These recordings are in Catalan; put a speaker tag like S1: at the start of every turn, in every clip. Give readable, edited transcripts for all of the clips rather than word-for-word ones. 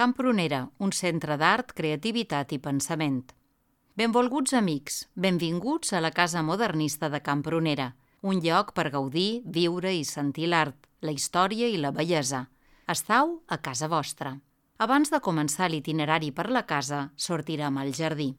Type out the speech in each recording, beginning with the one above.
S1: Camp Prunera, un centre d'art, creativitat i pensament. Benvolguts amics, benvinguts a la Casa Modernista de Camp Prunera, un lloc per gaudir, viure i sentir l'art, la història i la bellesa. Estau a casa vostra. Abans de començar l'itinerari per la casa, sortirem al jardí.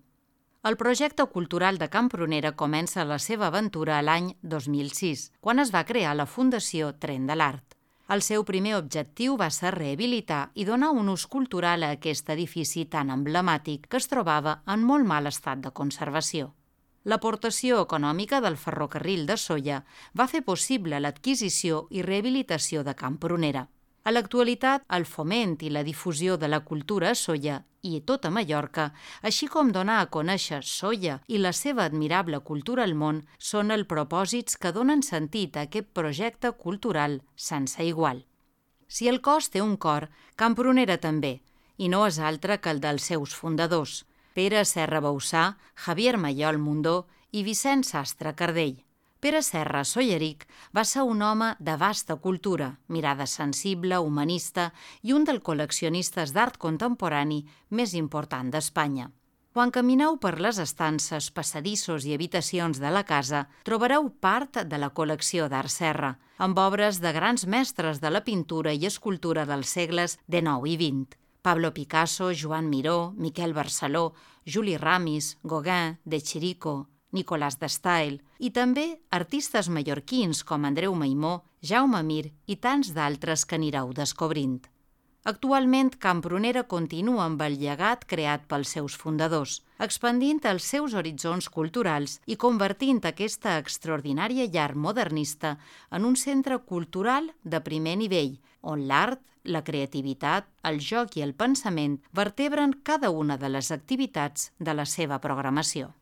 S1: El projecte cultural de Camp Prunera comença la seva aventura l'any 2006, quan es va crear la Fundació Tren de l'Art. El seu primer objectiu va ser rehabilitar i donar un ús cultural a aquest edifici tan emblemàtic que es trobava en molt mal estat de conservació. L'aportació econòmica del ferrocarril de Sóller va fer possible l'adquisició i rehabilitació de Camp Prunera. A l'actualitat, el foment i la difusió de la cultura a Sóller i tota Mallorca, així com donar a conèixer Sóller i la seva admirable cultura al món, són els propòsits que donen sentit a aquest projecte cultural sense igual. Si el cos té un cor, Camp Prunera també, i no és altre que el dels seus fundadors, Pere Serra Bauçà, Javier Mallol Mundó i Vicent Sastre Cardell. Pere Serra Solleric va ser un home de vasta cultura, mirada sensible, humanista i un dels col·leccionistes d'art contemporani més important d'Espanya. Quan camineu per les estances, passadissos i habitacions de la casa, trobareu part de la col·lecció d'Art Serra, amb obres de grans mestres de la pintura i escultura dels segles XIX i XX. Pablo Picasso, Joan Miró, Miquel Barceló, Juli Ramis, Gauguin, De Chirico, Nicolás de Stael, i també artistes mallorquins com Andreu Maimó, Jaume Mir i tants d'altres que anireu descobrint. Actualment, Camp Prunera continua amb el llegat creat pels seus fundadors, expandint els seus horitzons culturals i convertint aquesta extraordinària llar modernista en un centre cultural de primer nivell, on l'art, la creativitat, el joc i el pensament vertebren cada una de les activitats de la seva programació.